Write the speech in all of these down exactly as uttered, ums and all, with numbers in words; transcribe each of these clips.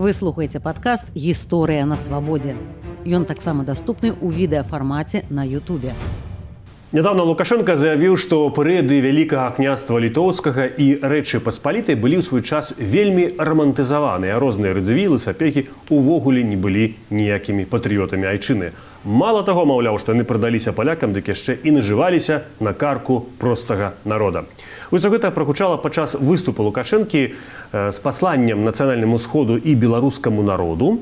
Вы слухаеце падкаст «Гісторыя на свабодзе». Ён таксама даступны ў відэафармаце на Ютубе. Нядаўна Лукашенко заявіў, што перыяды Вялікага княства Літоўскага і Рэчы Паспалітай былі ў свой час вельмі рамантызаваныя, а розныя радзівілы, сапекі увогуле не былі ніякімі патрыётамі айчыны. Мала таго, маўляў, што яны прадаліся палякам, дык яшчэ і нажываліся на карку простага народа. Усё гэта прагучала падчас выступу Лукашэнкі з пасланнем нацыянальнаму сходу і беларускаму народу.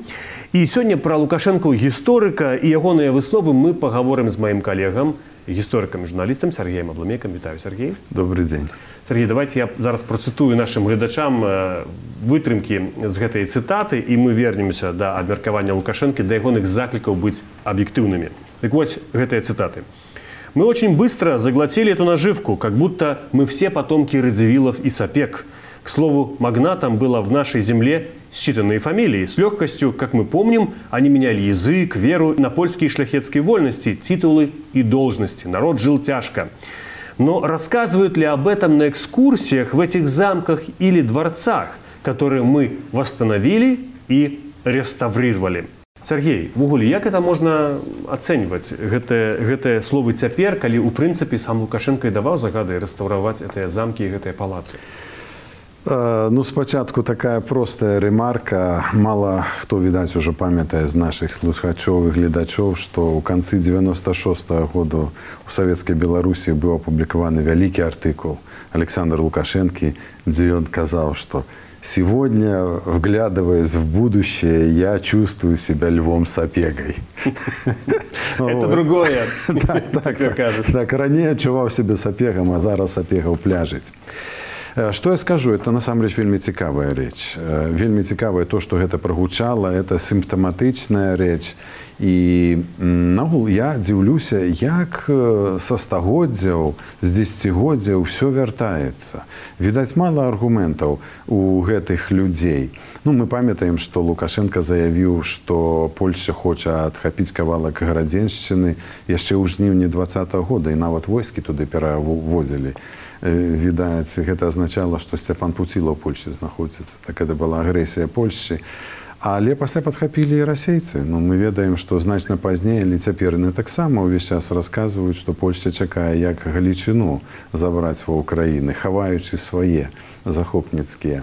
І сёння пра Лукашэнку гісторыка і ягоныя высновы мы пагаворым з маім калегам, гісторыкам і журналістам Сергеем Абламейкам. Вітаю, Сергей. Добрый дзень. Сергей, давайте я зараз працытую нашим гледачам вытрымкі з гэтай цытаты, і мы вернемся да абмеркавання Лукашэнкі, да ягоных заклікаў быць аб'ектыўнымі. Так вось гэтыя цытаты. Мы очень быстро заглотили эту наживку, как будто мы все потомки Радзивиллов и Сапег. К слову, магнатам было в нашей земле считанные фамилии. С легкостью, как мы помним, они меняли язык, веру на польские шляхетские вольности, титулы и должности. Народ жил тяжко. Но рассказывают ли об этом на экскурсиях в этих замках или дворцах, которые мы восстановили и реставрировали? Сергей, ввогуле, як это можна ацэньваць гэтыя, гэтыя словы цяпер, калі ў прынцыпе сам Лукашенко і даваў загады рэстаўраваць гэтыя замкі і гэтыя палацы? Ну, спачатку такая простая ремарка. Мало хто, відаць, уже памятае з наших слухачоў і гледачоў, што ў канцы девяносто шестого году у Савецкай Беларусі быў апублікаваны вялікі артыкул Александра Лукашэнкі, дзе ён казаў, што «Сегодня, вглядываясь в будущее, я чувствую себя львом-сапегой». Это другое. Так, ранее адчуваў себе сапегом, а зараз сапегаў пляжыць. Што я скажу, это насамрэч вельмі цікавая рэч. Вельмі цікавае то, што гэта прагучала, это сімптаматычная рэч. І нагул я дзіўлюся, як са стагоддзяў, з дзесяцігоддзяў усё вяртаецца. Відаць, мала аргументаў у гэтых людзей. Ну, мы памятаем, што Лукашенко заявіў, што Польшча хоча адхапіць кавалак Гарадзеншчыны яшчэ ў жніўні двадцатого года, і нават войскі туды пераводзілі. Відаць, гэта азначала, што Сцяпан Пуціла ў Польшчы знаходзіцца. Так гэта была агрэсія Польшчы. Але пасля падхапілі і расейцы. Ну, мы ведаем, што значна пазней, але цяпер яны таксама ўвесь час расказваюць, што Польшча чакае як Галічыну забраць ва ўкраіны, хаваючы свае захопніцкія,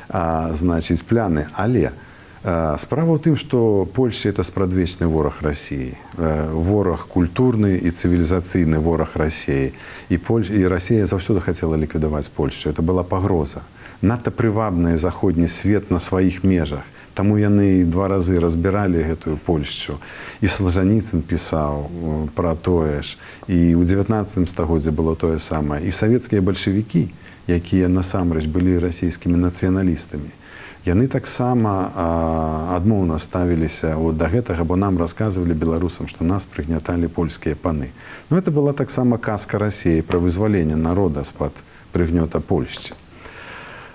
а, значыць, пляны. Але а, справа ў тым, што Польшча – это спрадвечны вораг Расіі. А, вораг культурны і цывілізацыйны вораг Расіі. І, Поль... і Расія заўсёды хацела ліквідаваць Польшчу. Это была пагроза. Надта прывабны заходні свет на сваіх межах. Таму яны два разы разбіралі гэтую Польшчу. І Салжаніцын пісаў пра тое ж. І ў дзевятнаццатым стагоддзі было тое самае. І савецкія бальшавікі, якія насамрэч былі расійскімі нацыяналістамі, яны таксама адмоўна ставіліся да гэтага, бо нам расказвалі беларусам, што нас прыгняталі польскія паны. Ну, это была таксама казка Расіі пра вызваленне народа з-пад прыгнёта Польшчы.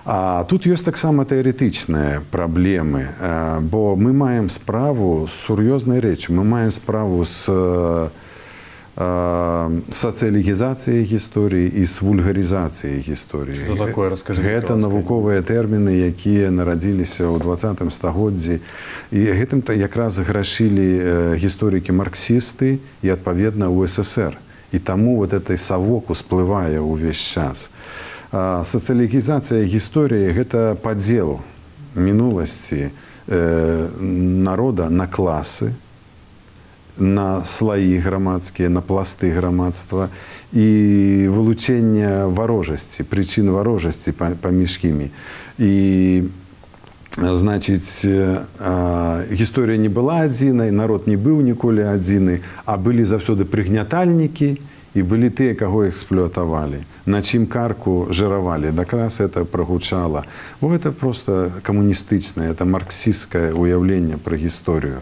А тут ёсць таксама тэарэтычныя праблемы, бо мы маем справу з сур'ёзнай рэчы, мы маем справу з сацыялізацыяй гісторыі і з вульгарызацыяй гісторыі. Што такое, раскажыце? Гэта навуковыя тэрміны, якія нарадзіліся ў двадцатым стагоддзі. І гэтым якраз грашылі гісторыкі-марксісты і, адпаведна, у эс эс эр. І таму вот этой савок усплывае ўвесь час. Сацыялізацыя гісторыі – гэта падзел мінуласці народа на класы, на слаі грамадскія, на пласты грамадства і вылучэнне варожасці, прычын варожасці паміж імі. І, значыць, гісторыя не была адзінай, народ не быў ніколі адзіны, а былі заўсёды прыгнятальнікі, і былі тыя, каго эксплуатавалі, на чым карку жыравалі. Якраз это прагучала. Бо гэта проста камуністычнае, это марксісцкае ўяўленне пра гісторыю.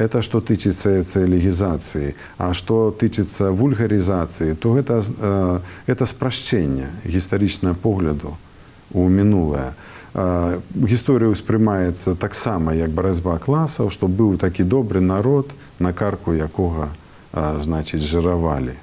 Это што тычыцца сацыялізацыі, а што тычыцца вульгарызацыі, то гэта, это спрашчэнне гістарычнага погляду ў мінулае. Гісторыя ўспрымаецца таксама як барацьба класаў, што быў такі добры народ, на карку якога, значыць, жыравалі.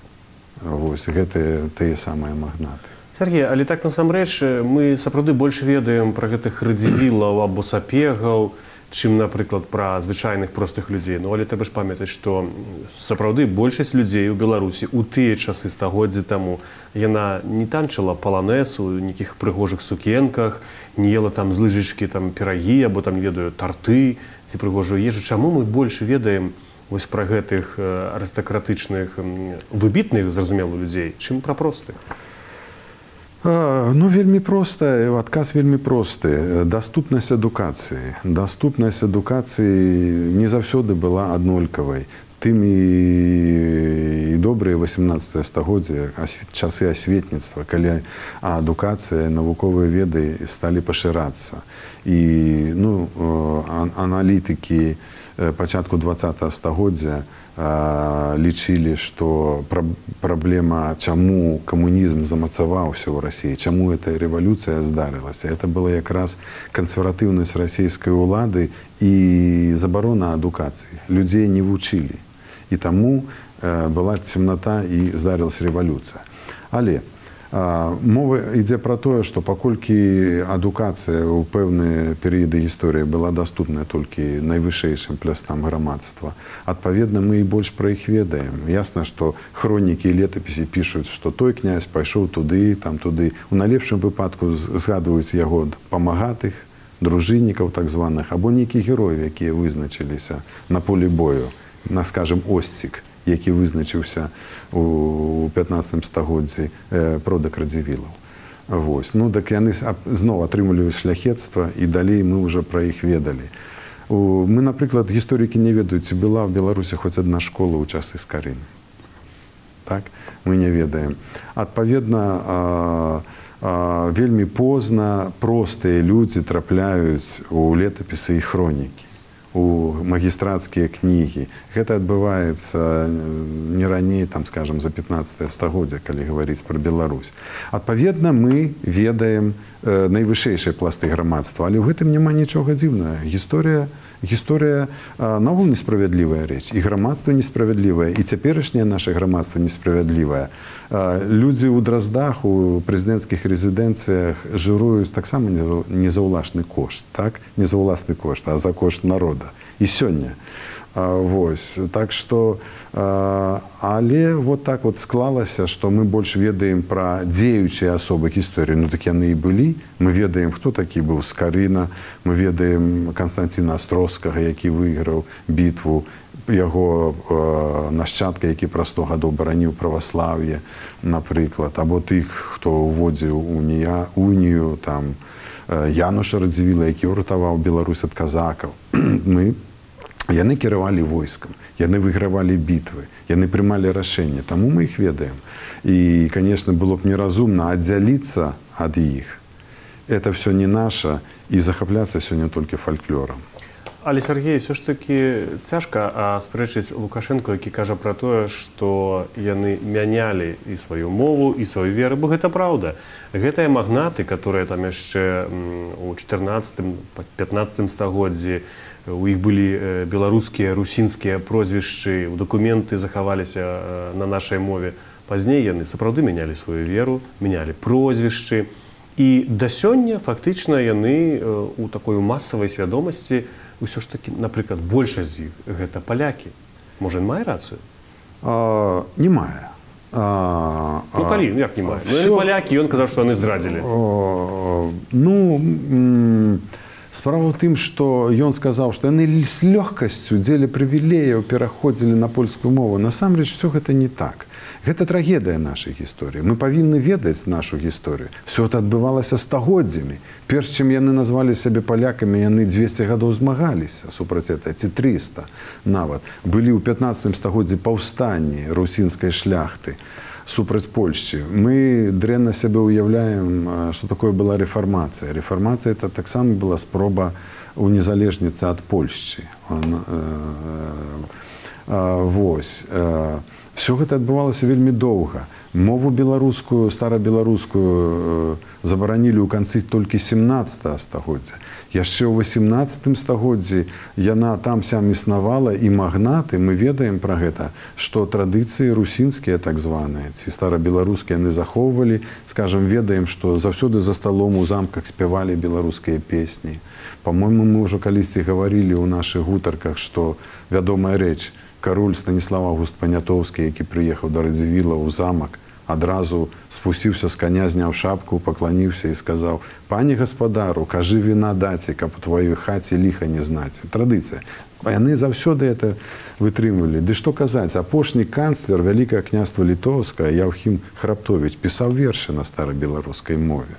Вось, гэта тыя самыя магнаты. Сергей, але так насамрэч мы сапраўды больш ведаем пра гэтых радзівілаў або сапегаў, чым, напрыклад, пра звычайных простых людзей. Ну, але трэба ж памятаць, што сапраўды большасць людзей у Беларусі ў тыя часы стагоддзі таму яна не танчыла паланэс у нейкіх прыгожых сукенках, не ела там з лыжачкі там пірагі, або там, ведаю, тарты ці прыгожую ежу. Чаму мы больш ведаем вось пра гэтых арыстакратычных, выбітных, зразумела, людзей, чым пра простых? Ну, вельмі проста, адказ вельмі просты. Даступнасць адукацыі. Даступнасць адукацыі не заўсёды была аднолькавай. Тым і добрыя васемнаццатае стагоддзе, часы асветніцтва, калі адукацыя, навуковыя веды сталі пашырацца. І ну, аналітыкі пачатку дваццатага стагоддзя лічылі, што праблема, чаму камунізм замацаваўся ў Расіі, чаму эта рэвалюцыя здарылася. Это была якраз кансерватыўнасць расійскай улады і забарона адукацыі. Людзей не вучылі. І таму была цемната і здарылася рэвалюцыя. Але мова ідзе пра тое, што паколькі адукацыя ў пэўныя перыяды гісторыі была даступная толькі найвышэйшым плястам грамадства, адпаведна, мы і больш пра іх ведаем. Ясна, што хронікі і летапісы пішуць, што той князь пайшоў туды, там туды. У найлепшым выпадку згадваюць яго памагатых, дружыннікаў так званых, або нейкіх герояў, якія вызначыліся на полі бою. На, скажем, Осцік, які вызначыўся у пятнаццатым стагоддзі, продак Радзівілаў. Вось. Ну, так яны зноў атрымліваюць шляхецтва, і далей мы ўжо пра іх ведалі. Мы, напрыклад, гісторыкі не ведаюць, ці была ў Беларусі хоць адна школа ў часы Скарыны. Так? Мы не ведаем. Адпаведна, вельмі позна простыя людзі трапляюць у летапісы і хронікі, у магістрацкія кнігі. Гэта адбываецца не раней, там, скажем, за пятнаццатае стагоддзе, калі гаварыць пра Беларусь. Адпаведна, мы ведаем найвышэйшыя пласты грамадства, але ў гэтым няма нічога дзіўнага. Гісторыя, гісторыя наогул несправядлівая рэч, і грамадства несправядлівае, і цяперашняе наша грамадства несправядлівае. Людзі ў Драздах, у прэзідэнцкіх рэзідэнцыях жыруюць таксама не за ўласны кошт, так? Не за ўласны кошт, а за кошт народа. І сёння. Вось. Так што, але вот так вот склалася, што мы больш ведаем пра дзеючыя асобы гісторыі. Ну, так яны і былі. Мы ведаем, хто такі быў Скарына, мы ведаем Канстанціна Астроскага, які выйграў бітву, яго нашчадка, які пра сто гадоў бараніў праваслаўе, напрыклад, або тых, хто ўводзіў унію, там, Януша Радзівіла, які ўратаваў Беларусь ад казакаў. Мы Яны кіравалі войскам, яны выйгравалі бітвы, яны прымалі рашэнне, таму мы іх ведаем. І, конечно, было б неразумна аддзяліцца ад іх. Это все не наша, і захапляцца сёння толькі фальклорам. Але, Сергей, все ж таки цяжка спрэчыць Лукашенко, які кажа пра тое, што яны мянялі і сваю мову, і сваю веру, бо гэта праўда. Гэтыя магнаты, которые там яшчэ у чатырнаццатым пятнаццатым стагоддзі, у іх былі беларускія, русінскія прозвішчы, дакументы захаваліся на нашай мове. Пазней яны сапраўды мянялі сваю веру, мянялі прозвішчы. І да сёння фактычна яны у такой масавай свядомасці ўсё ж такі, напрыклад, большасць з іх гэта палякі. Можа, ён мае рацыю? А, не мае. А, ну, калі? Як не мае? Ну, яны палякі, ён казаў, што яны здрадзілі. Ну, справа ў тым, што ён сказаў, што яны з лёгкасцю дзеля прывілеяў пераходзілі на польскую мову. Насамрэч, все гэта не так. Гэта трагедыя нашай гісторыі. Мы павінны ведаць нашу гісторыю. Все это адбывалася стагоддзямі. Перш чым яны назвалі сябе палякамі, яны дзвесце гадоў змагаліся супраць этого, ці трыста нават. Былі ў пятнаццатым стагоддзі паўстанні русінскай шляхты супраць Польшчы. Мы дрэнна сябе ўяўляем, што такое была рэфармацыя. Рэфармацыя это таксама была спроба унезалежніцца ад Польшчы. Вось. Все гэта адбывалася вельмі доўга. Мову беларускую, старабеларускую забаранілі ў канцы толькі семнаццатага стагоддзя. Яшчэ ў васемнаццатым стагоддзі яна там-сям існавала, і магнаты, мы ведаем пра гэта, што традыцыі русінскія так званыя, ці старабеларускія яны захоўвалі, скажам, ведаем, што заўсёды за сталом у замках спявалі беларускія песні. Па-мойму, мы ўжо калісьці гаварылі ў нашых гутарках, што вядомая рэч, кароль Станіслав Аўгуст Панятоўскі, які прыехаў да Радзівіла ў замак, адразу спусціўся з каня, зняў шапку, пакланіўся і сказаў: «Пане гаспадару, кажы віна даце, каб у тваёй хаце ліха не знаце». Традыцыя. Яны заўсёды это вытрымлівалі. Ды што казаць, апошні канцлер Вялікага княства Літоўскага Яўхім Храптовіч пісаў вершы на старабеларускай мове.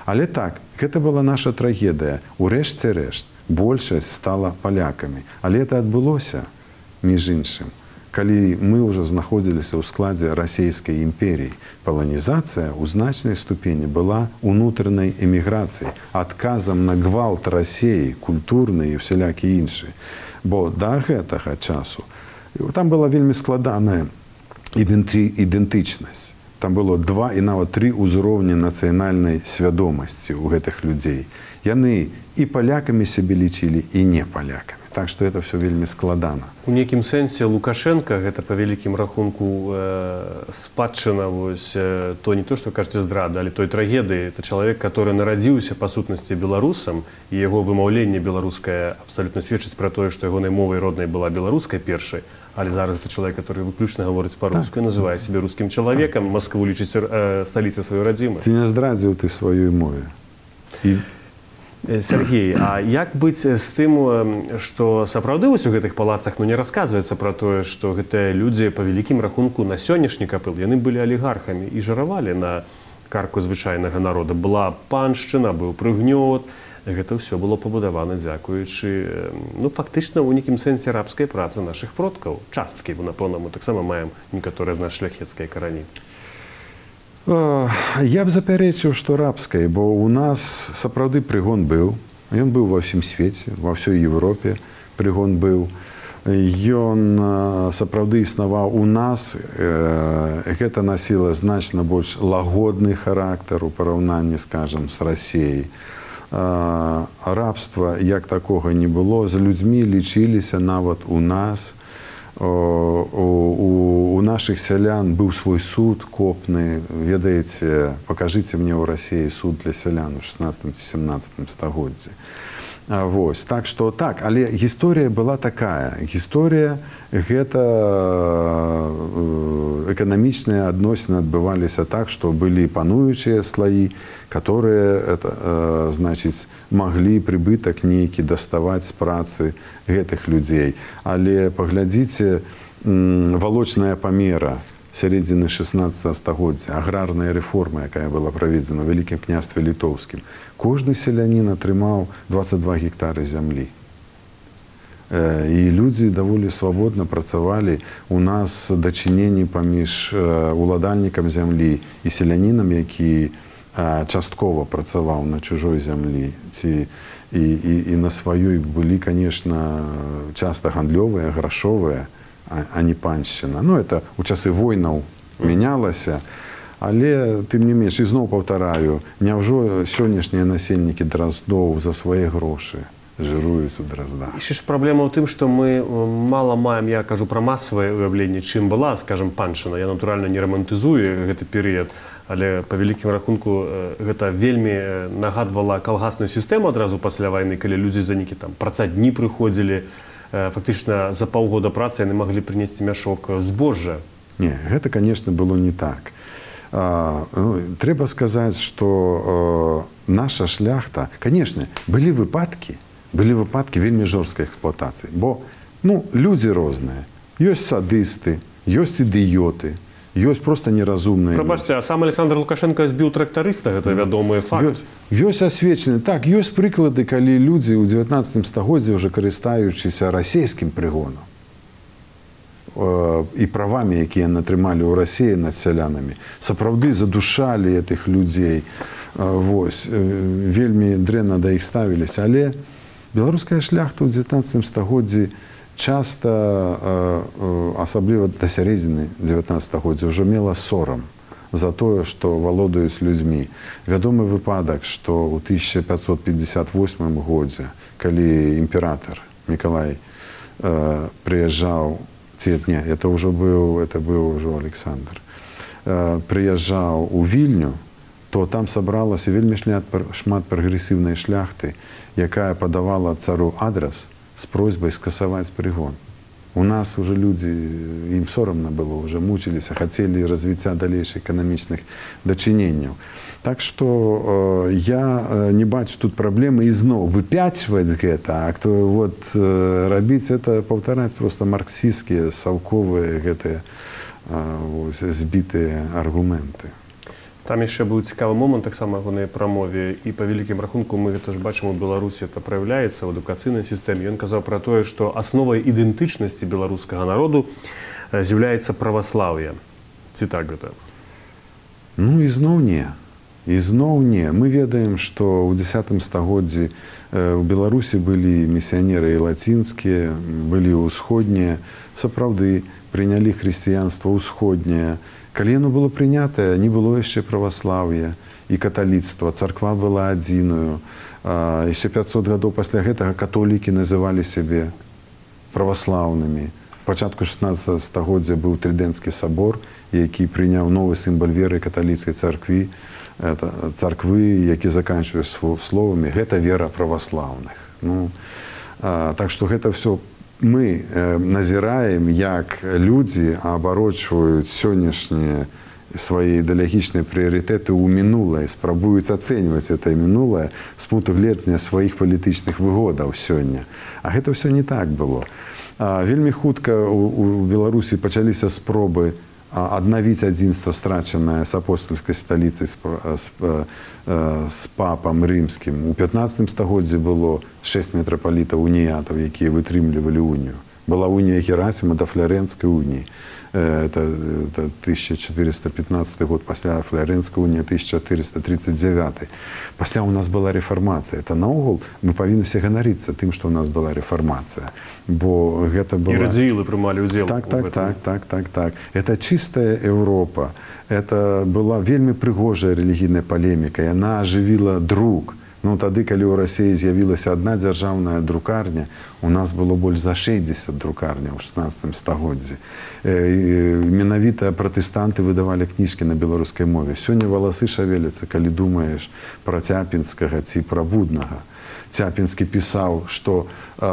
Але так, гэта была наша трагедыя. Урэшце рэшт, большасць стала палякамі. Але это адбылося, між іншым, калі мы ўжо знаходзіліся ў складзе расійскай імперіі. Паланізацыя ў значнай ступені была унутранай эміграцыяй, адказам на гвалт Расіі, культурны і ўсялякі іншы. Бо да гэтага часу там была вельмі складаная ідэнтычнасць. Там было два і нават тры ўзроўні нацыянальнай свядомасці ў гэтых людзей. Яны і палякамі сябе лічылі, і не палякамі. Так што это все вельмі складана. У нейкім сэнсе Лукашенко, гэта па вялікім рахунку э, спадчына, вось, э, то не то, што кажаце здрада, але той трагедыі. Это чалавек, который нарадзіўся па сутнасці беларусам, і яго вымаўленне беларускае абсалютна сведчыць пра тое, што ягонай мовай роднай была беларускай першай, але зараз это чалавек, который выключна гаворыць па-руску, так, называе сябе рускім чалавекам, так. Маскву лічыць э, сталіцай сваёй радзімай. Ці не здрадзіў ты сваёй мове? І... Сергей, а як быць з тым, што сапраўды вось у гэтых палацах ну, не расказваецца пра тое, што гэтыя людзі па вялікім рахунку на сённяшні капыл, яны былі алігархамі і жыравалі на карку звычайнага народа. Была паншчына, быў прыгнёт, гэта ўсё было пабудавана дзякуючы, ну, фактычна, у нейкім сэнсе рабскай працы нашых продкаў. Часткі, бо, напэўна, мы таксама маем некаторыя з нас шляхецкія карані. Я б запярэчыў, што рабскай, бо ў нас сапраўды прыгон быў. Ён быў ва ўсім свеце, ва ўсёй Еўропе прыгон быў. Ён сапраўды існаваў у нас. Гэта насіла значна больш лагодны характар у параўнанні, скажам, з Расіяй. Рабства як такога не было. З людзьмі лічыліся нават у нас. У, у, у наших сялян быў свой суд копны. Ведаеце, пакажыце мне ў Расіі суд для сялян у шаснаццатым ці сямнаццатым стагоддзі. Вось. Так што так, але гісторыя была такая. Гісторыя гэта эканамічныя адносіны адбываліся так, што былі пануючыя слаі, которые это, значыць, маглі прыбытак нейкі даставаць з працы гэтых людзей. Але паглядзіце, валочная памера сярэдзіны шаснаццатага стагоддзя, аграрная рэформа, якая была праведзена ў Вялікім княстве Літоўскім. Кожны селянін атрымаў дваццаць два гектары зямлі. І людзі даволі свабодна працавалі. У нас дачыненні паміж уладальнікам зямлі і селянінам, які часткова працаваў на чужой зямлі, ці і, і, і на сваёй былі, конечно, часта гандлёвыя, грашовыя, а, а не паншчына. Ну, это у часы войнаў мянялася, але, тым не менш, ізноў паўтараю, няўжо сённяшнія насельнікі драздоў за свае грошы жыруюць у драздах? І ж праблема ў тым, што мы мала маем, я кажу пра масавае уяўленне, чым была, скажам, паншчына. Я, натуральна, не рамантызую гэты перыяд, але па вялікім рахунку гэта вельмі нагадвала калгасную сістэму адразу пасля вайны, калі людзі за нейкі там працадні прыходзілі, фактычна за паўгода працы яны маглі прынесці мяшок збожжа. Не, гэта, конечно, было не так. А, ну, трэба сказаць, што э, наша шляхта, конечно, былі выпадкі, былі выпадкі вельмі жорсткай эксплуатацыі, бо ну, людзі розныя. Ёсць садысты, ёсць ідыёты, ёсць проста неразумныя. Прабачце, а сам Александр Лукашенко збіў трактарыста, гэта вядомы факт. Ёсць асвечаны. Так, ёсць прыклады, калі людзі ў дзевятнаццатым стагоддзі ўжо карыстаючыся расійскім прыгонам і правамі, якія атрымалі ў Расіі над сялянамі, сапраўды задушалі гэтых людзей. Вось, вельмі дрэнна да іх ставіліся. Але беларуская шляхта ў дзевятнаццатым стагоддзі часта, асабліва да сярэдзіны дзевятнаццатага стагоддзя, ўжо мела сорам за тое, што валодаюць людзьмі. Вядомы выпадак, што ў тысяча пятьсот пятьдесят восьмым годзе, калі імператар Мікалай э, прыязджаў, ці не, это ўжо быў, это быў ўжо Александр, э, прыязджаў у Вільню, то там сабралася вельмі шмат прагрэсіўнай шляхты, якая падавала цару адрас з просьбай скасаваць прыгон. У нас уже люди, им соромно было, уже мучились, хотели развития дальнейших экономичных дочинений. Так что э, я э, не бачу тут проблемы и снова выпячивать это, а кто вот э, робить это, повторять просто марксистские, совковые, это, э, вот, сбитые аргументы. Там яшчэ быў цікавы момант таксама ягонай прамове, і па вялікім рахунку мы гэта ж бачым у Беларусі, это праяўляецца ў адукацыйнай сістэме. Ён казаў пра тое, што асновай ідэнтычнасці беларускага народу з'яўляецца праваслаўе. Ці так гэта? Ну ізноў не. Ізноў не. Мы ведаем, што ў дзесятым стагоддзі ў Беларусі былі місіянеры і лацінскія, былі ўсходнія, сапраўды прынялі хрысціянства ўсходняе. Калі яно было прынятае, не было яшчэ праваслаўя і каталіцтва. Царква была адзіную. Яшчэ пятьсот гадоў пасля гэтага католікі называлі сябе праваслаўнымі. Пачатку шаснаццатага стагоддзя быў Трыдэнцкі сабор, які прыняў новы сімвал веры каталіцкай царквы, царквы, які заканчваюць словамі «гэта вера праваслаўных». Ну, так што гэта ўсё мы э, назіраем, як людзі абарочваюць сённяшнія свае ідэалагічныя прыярытэты ў мінулае, спрабуюць ацэньваць это мінулае з пункту гледжання сваіх палітычных выгодаў сёння. А гэта ўсё не так было. А, вельмі хутка у, у Беларусі пачаліся спробы аднавіць адзінства, страчанае з апостольскай сталіцай, з, з, з папам рымскім. У пятнаццатым стагоддзі было шэсць мітрапалітаў уніятаў, якія вытрымлівалі унію. Была унія Герасіма да Флоренскай уніі. Это, это тысяча четыреста пятнадцатый год, пасля Флоренскай уніі тысяча четыреста тридцать девятый. Пасля у нас была рэфармацыя. Это наогул мы павінны все ганарыцца тым, што у нас была рэфармацыя. Бо гэта была... І радзівілы прымалі ўдзел. Так, так, так, так, так, так. Это чистая Европа. Это была вельмі прыгожая рэлігійная палеміка. Яна ажывіла друк. Ну, тады, калі ў Расіі з'явілася адна дзяржаўная друкарня, у нас было больш за шэсцьдзесят друкарняў у шаснаццатым стагоддзі. Менавіта пратэстанты выдавалі кніжкі на беларускай мове. Сёння валасы шавеляцца, калі думаеш пра Цяпінскага ці пра Буднага. Цяпінскі пісаў, што э,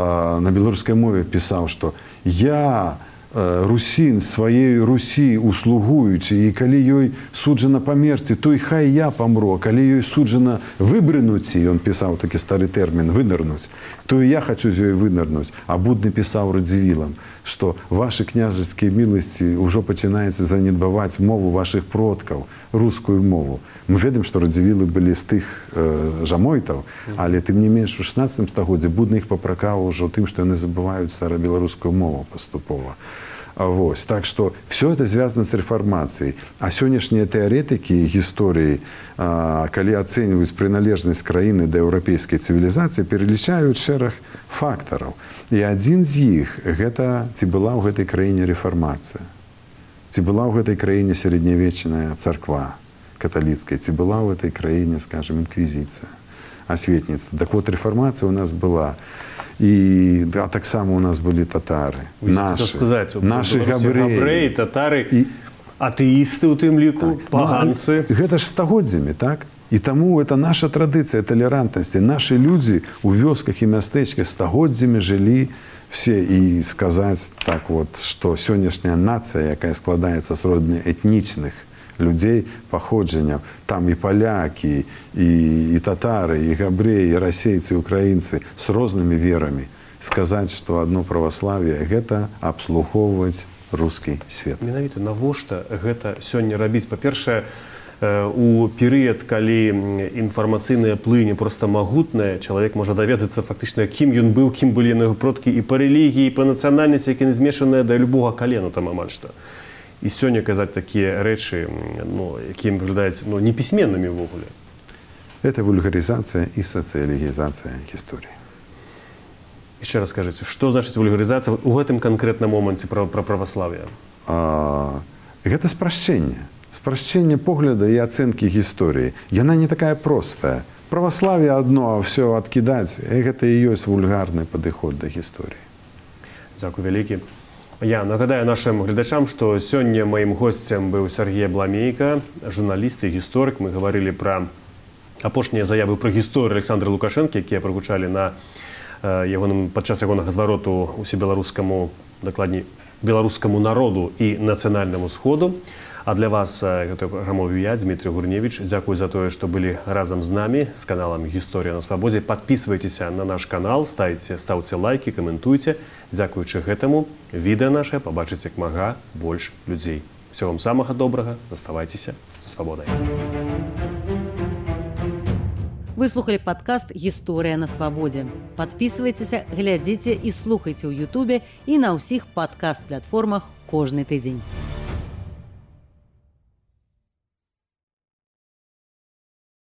на беларускай мове пісаў, што я русін сваей Русі услугуючы, і калі ёй суджана памерці, то і хай я памру, а калі ёй суджана выбрынуць, і ён пісаў такі стары тэрмін вынырнуць, то і я хачу з ёй вынырнуць. А Будны пісаў радзівілам, што вашы княжацкія міласці ўжо пачынаецца занядбаваць мову вашых продкаў, рускую мову. Мы ведаем, што радзівілы былі з тых э, жамойтаў, але тым не менш у шаснаццатым стагоддзі Будны іх папракаў ужо тым, што яны забываюць старабеларускую мову паступова. Вось. Так что все это связано с реформацией. А сённяшнія теоретики гісторыі, калі ацэньваюць прыналежнасць краіны да еўрапейскай цывілізацыі, пералічаюць шэраг фактараў. І адзін з іх гэта ці была ў гэтай краіне рэфармацыя, ці была ў гэтай краіне сярэднявечная царква каталіцкая, ці была ў гэтай краіне, скажем, інквізіцыя, асветніцтва. Так вот, рэфармацыя у нас была. І а таксама у нас былі татары, нашы, сказаць, нашы габрэі, габрэі, татары, і... атэісты ў тым ліку, так. Паганцы. Ну, гэта ж стагоддзямі, так? І таму это наша традыцыя талерантнасці. Нашы людзі ў вёсках і мястэчках стагоддзямі жылі все. І сказаць так вот, што сённяшняя нацыя, якая складаецца з родных этнічных людзей паходжання, там і палякі, і, і татары, і габрэі, і расейцы, і украінцы з рознымі верамі. Сказаць, што адно праваславие — гэта абслугоўваць рускі свет. Менавіта навошта гэта сёння рабіць? Па-першае, у перыяд, калі інфармацыйная плынь проста магутная, чалавек можа даведацца фактычна, кім ён быў, кім былі яго продкі і па рэлігіі, і па нацыянальнасці, які не змешаныя да любога калена там амаль што. І сёння казаць такія рэчы, ну, якія выглядаюць ну, непісьменнымі ўвогуле. Это вульгаризация и социализация истории. Еще раз скажите, что значит вульгаризация в этом конкретном моменте про, про православие? А, это спрашчэнне. Спрашчэнне погляда и оценки гісторыі. Яна не такая простая. Православие одно, а все откидать, это и есть вульгарный подход до гісторыі. Дякую вялікі. Я нагадаю нашим глядачам, что сегодня моим гостем был Сергей Бламейко, журналист и историк. Мы говорили про апошнія заявы про гісторыю Александра Лукашенко, якія прагучалі на ягоным падчас ягонага звароту усебеларускаму, дакладней, беларускаму народу і нацыянальнаму сходу. А для вас гэтую праграму вёў я, Дмитрий Гурневич. Дзякую за тое, што былі разам з намі з каналам «Гісторыя на свабодзе». Подписывайтеся на наш канал, ставьте, ставьте лайки, комментуйте. Дзякуючы гэтаму відэа наше побачыць як мага больш людзей. Всего вам самага добрага, заставайцеся за свабодай. Вы слухали подкаст «Гісторыя на свабодзе». Подписывайтеся, глядзіце і слухайце ў Ютубе і на ўсіх падкаст-платформах кожны тыдзень.